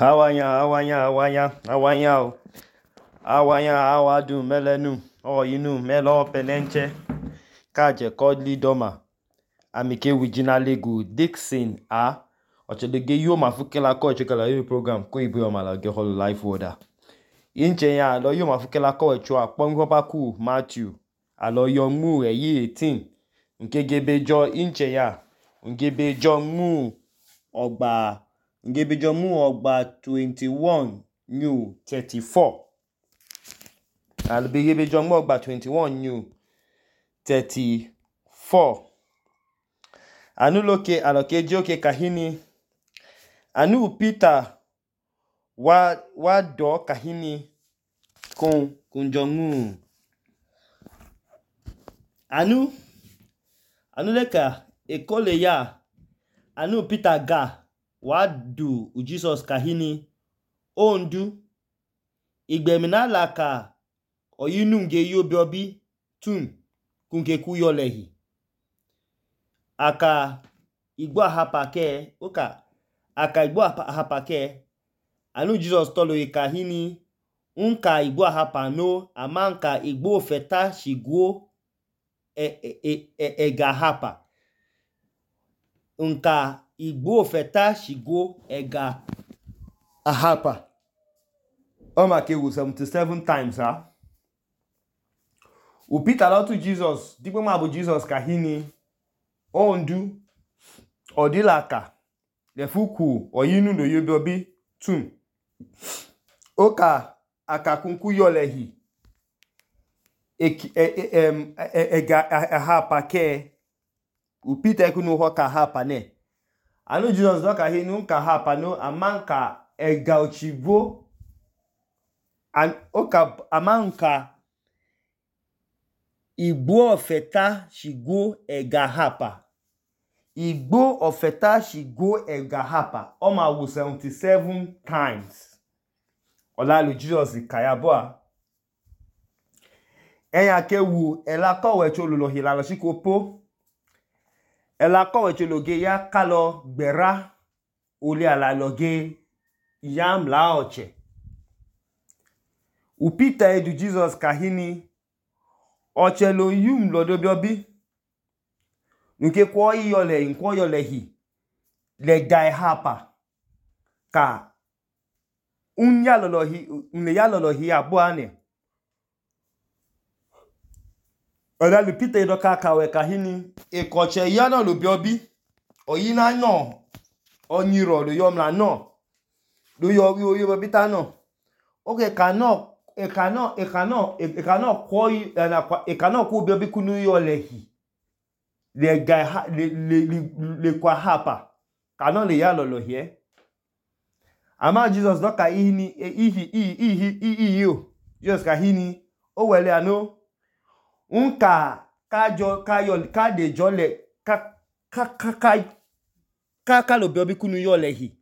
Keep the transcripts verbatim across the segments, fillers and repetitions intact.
Awanya, awanya, awanya, awanya o. Awanya, awadu melenu. O inu melo penenche. Kaje kodli doma. Amike wijinale gu Dixon a. Ochedege yo mafukela ko chekala yo program ko ibu yomala ge holo life order. Inche ya lo yo mafukela ko chwa pongo baku Matthew. Alo yo mu e yi eighteen. Nke gebe jo inche ya. Ngebe jo mu ogba ngebe jo mu ogba twenty-one new thirty-four. Alo gebe jo mu ogba twenty-one new thirty-four. Anu loke aloke joke kahini. Anu Peter wa wa do kahini kun kunjongu. Anu anu leka ekole ya anu Peter ga wa du u Jesus kahini ondu igbemina laka oyinu nge yobi obi tun kunke kuyolehi aka igbo ahapa ke oka aka igbo ahapa ke anu Jesus tolo ikahini unka igbo ahapa no amanka igbo feta shiguo e e e, e, e gahapa unka igbo feta shiguo ega ahapa omake wu seventy-seven times ha u Peter lo tu Jesus digbo ma bu Jesus kahini ondu odilaka lefuku oyinu no yobi obi tun oka akakunku yolehi ega ahapa ke u Peter kunu hoka ahapa ne anu Jesus do kahini unka ahapa no amanka ega ochivo an oka amanka igbo ofeta shigo ega hapa igbo ofeta shigo ega hapa oma wu seventy-seven times olalu Jesus kayaboa eya ke wu ela kowe cholulo hilalo shikopo ela kowe chologe ya kalo gbera ole ala loge yam la oche u Peter edu Jesus kahini ochelo yum lodobi obi nke kwo yole nkwo yole hi le dai hapa ka unya lolo hi unle ya lolo hi abo ane oda lu Peter do ka kawe kahini e koche ya no lobi obi oyina no onyiro lo yomla no lo yo yo yo bita no oke kano e kano e kano e kano kwo e kano ku bi obi kunu yole hi le ga le le le kwa hapa kano le ya lolo hi e ama Jesus do ka ihini ihi ihi ihi yo Jesus ka hini o wele ano unka kajo kayo ka de jole ka ka ka ka ka lo bi obi kunu yole hi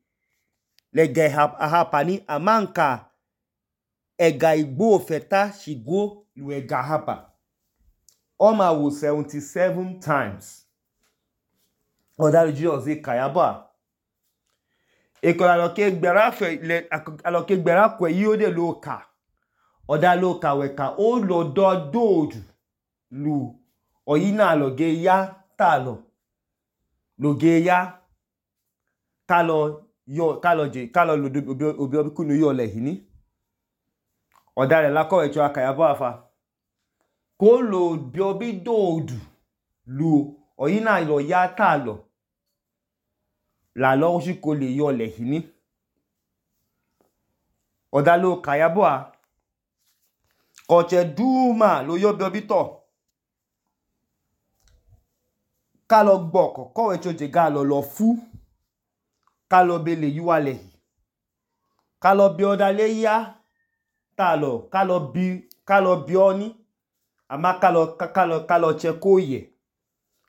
le ga hapa ni amanka ega igbo feta shigo lu ega hapa oma wu seventy-seven times oda Jesus e kayaba e ko la ke gbera fe le alo ke gbera kwe yi o de lo ka oda lo ka we ka o lo do dodu lu oyina lo ge ya talo lo ge ya kalo yo kalo je kalo lo obi obi kunu yo le hini oda le la ko echo akayabo afa ko lo bi obi dodu lu oyina lo ya talo la lo shi ko le yo le hini oda lo kayabo a koche duma lo yo bi obi to kalo gboko ko echo je ga lo lo fu kalo bele yuwale kalo bi oda le ya talo kalo bi kalo bi oni ama kalo kalo kalo chekoye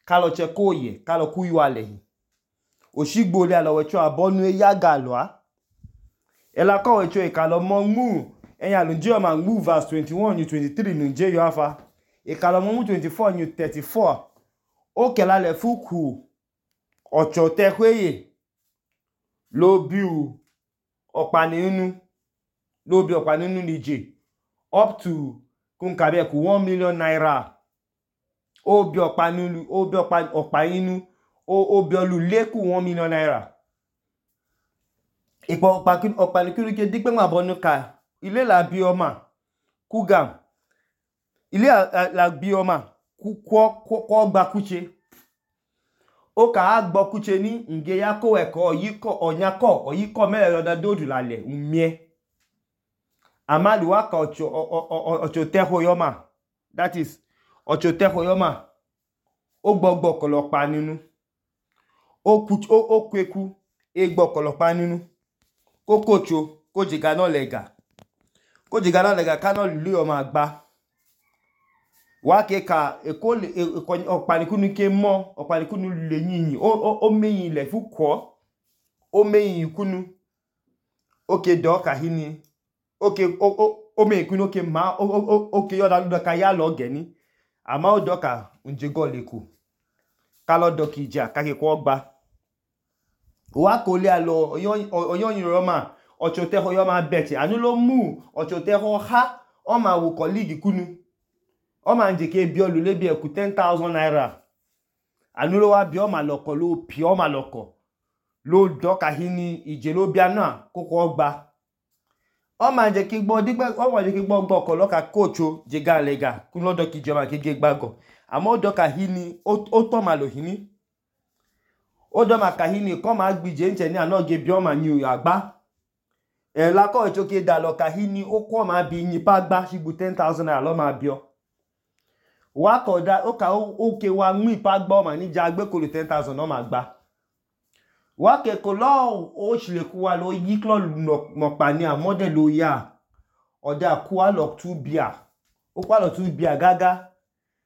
kalo chekoye kalo kuyuale oshigbo le alo wecho abonu e ya galo a ela ko wecho e kalo mo mu eyan lo nje o ma mu verse twenty-one new twenty-three nu nje yo afa e kalo mo mu twenty-four new thirty-four o kela le fuku ocho tehweye lo biu okpaninu lo bi okpaninu nije up to kun kabe ku one million naira o bi okpaninu o bi okpaninu o o bi olu le ku one million naira ipo okpaninu okpaninu ke digbe ma bonu ka ile la bi oma kugam ile la bi oma ku ko ko gba kuche o ka agbo kuche ni nge ya ko eko oyiko onyako oyiko mele loda dodu lale umie amali wa ka ocho ocho teho yoma that is ocho teho yoma o gbogbo kolopa ninu o ku o kweku e gbo kolopa ninu ko kocho ko jiga no lega ko jiga no lega ka no lu yoma agba wa ke ka eko okpanikunu ke mo okpanikunu le yin o o meyin le fu ko o meyin kunu o ke do ka hini o ke o o meyin kunu ke ma o o o ke yo da lu ka ya lo geni ama o do ka nje go leku ka lo do ki ja ka ke ko gba wa ko le alo oyan yin ro ma ocho teho yo ma beti anu lo mu ocho teho ha o ma wo colleague kunu o ma nje ke bi olu le bi e ku ten thousand naira anu lo wa bi o ma loko lo pi o ma loko lo do ka hini ije lo bi ana ko ko gba o ma nje ki gbo digbe o ma nje ki gbo gbo ko lo ka kocho je ga lega kun lo do ki je ma ke ge gbago ama o do ka hini o o to ma lo hini o do ma ka hini ko ma gbije nche ni ana ge bi o ma ni o agba e la ko echo ke da lo ka hini o ko ma bi yin pa gba sigbu ten thousand naira lo ma bi o wa ko da o ka o ke wa mu ipa gba o ma ni ja gbe ko lo ten thousand no ma gba wa ke ko lo o sile ku wa lo yi klo mo pa ni a model lo ya o da ku wa lo two bia o pa lo two bia gaga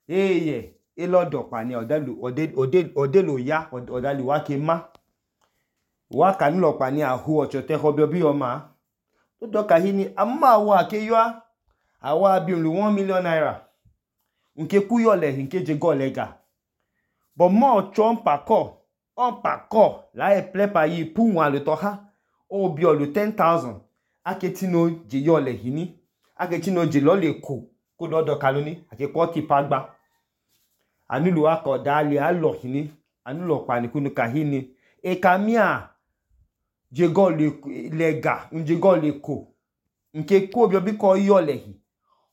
eye e lo do pa ni o da lo ode ode ode lo ya o da li wa ke ma wa ka ni lo pa ni a hu ocho te ho bi o ma o do ka hini amma wa ke yo awa bi lu one million naira nke ku yo le nke je go lega but mo chompa ko on pa ko la e plepa yi pu wan le to ha o bi o lu ten thousand aketino je yo le hini aketino je lo le ko ko do do kaloni ake ko ti pa gba anu lu wa ko da le a lo hini anu lo pa ni kunu ka hini e kamia je go le lega nje go le ko nke ko bi obi ko yo le hi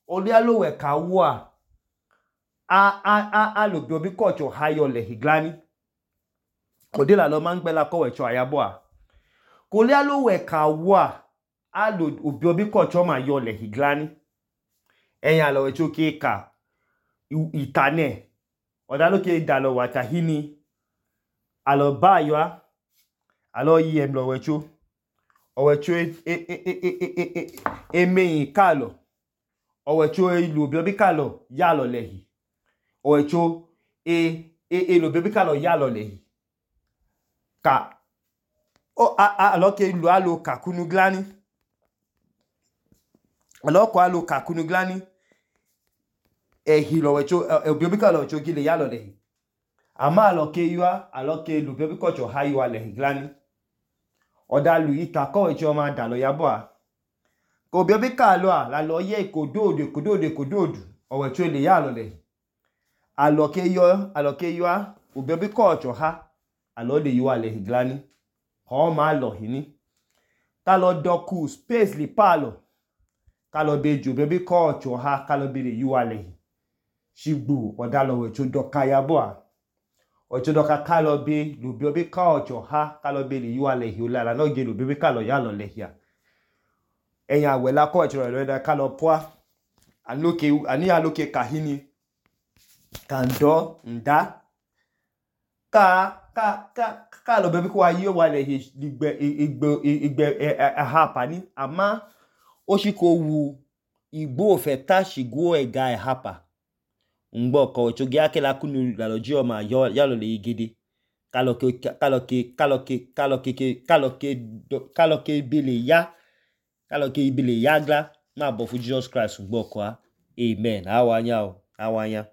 oli alo we ka wo a a a a lo bi obi ko cho ha yo le hi glani ode la lo ma ngbe la ko we cho ayabo a ko li alo we ka wo a a lo obi obi ko cho ma yo le hi glani eyan alo we cho ke ka itane oda lo ke da lo wa ta hini alo ba yo a alo yi em lo we cho o we cho e e e e e e meyin ka lo o we cho e lu obi obi ka lo ya lo le hi o we cho e e e lu obi obi ka lo ya lo le hi ka o a a alo ke lu alo ka kunu glani alo ko alo ka kunu glani e hi lo we cho e obi obi ka lo cho ki le ya lo le hi ama alo ke yo alo ke lu obi obi ko cho ha yo le hi glani oda lu ita ko we cho ma da lo ya bo a ko obi obi ka lo a la lo ye ikododo ikododo ikododo o we cho le ya lo le hi alo ke yo alo ke yo obi obi ko cho ha alo le yo le hi glani ho ma lo hini ka lo doku space li palo ka lo be ju obi ko cho ha ka lo be le yo le hi shigbu oda lo we cho do ka ya bo a o cho do ka ka lo be lu bi obi ko cho ha ka lo be le yo le hi o la la no ge lu bi ka lo ya lo le hi a eyan we la ko cho lo da ka lo po anoke ani aloke ka hini kando nda ka ka ka ka lo be ko ayi wa le hi igbe igbe igbe ha pani ama o shi ko wu igbo fe ta shigo ega e hapa ngbo ko cho ge akela kunu la loji o ma yo ya lo le igede ka lo ke ka lo ke ka lo ke ka lo ke ka lo ke ka lo ke bele ya ka lo ke bele ya gla ma bo fu Jesus Christ ngbo ko a amen awanya o awanya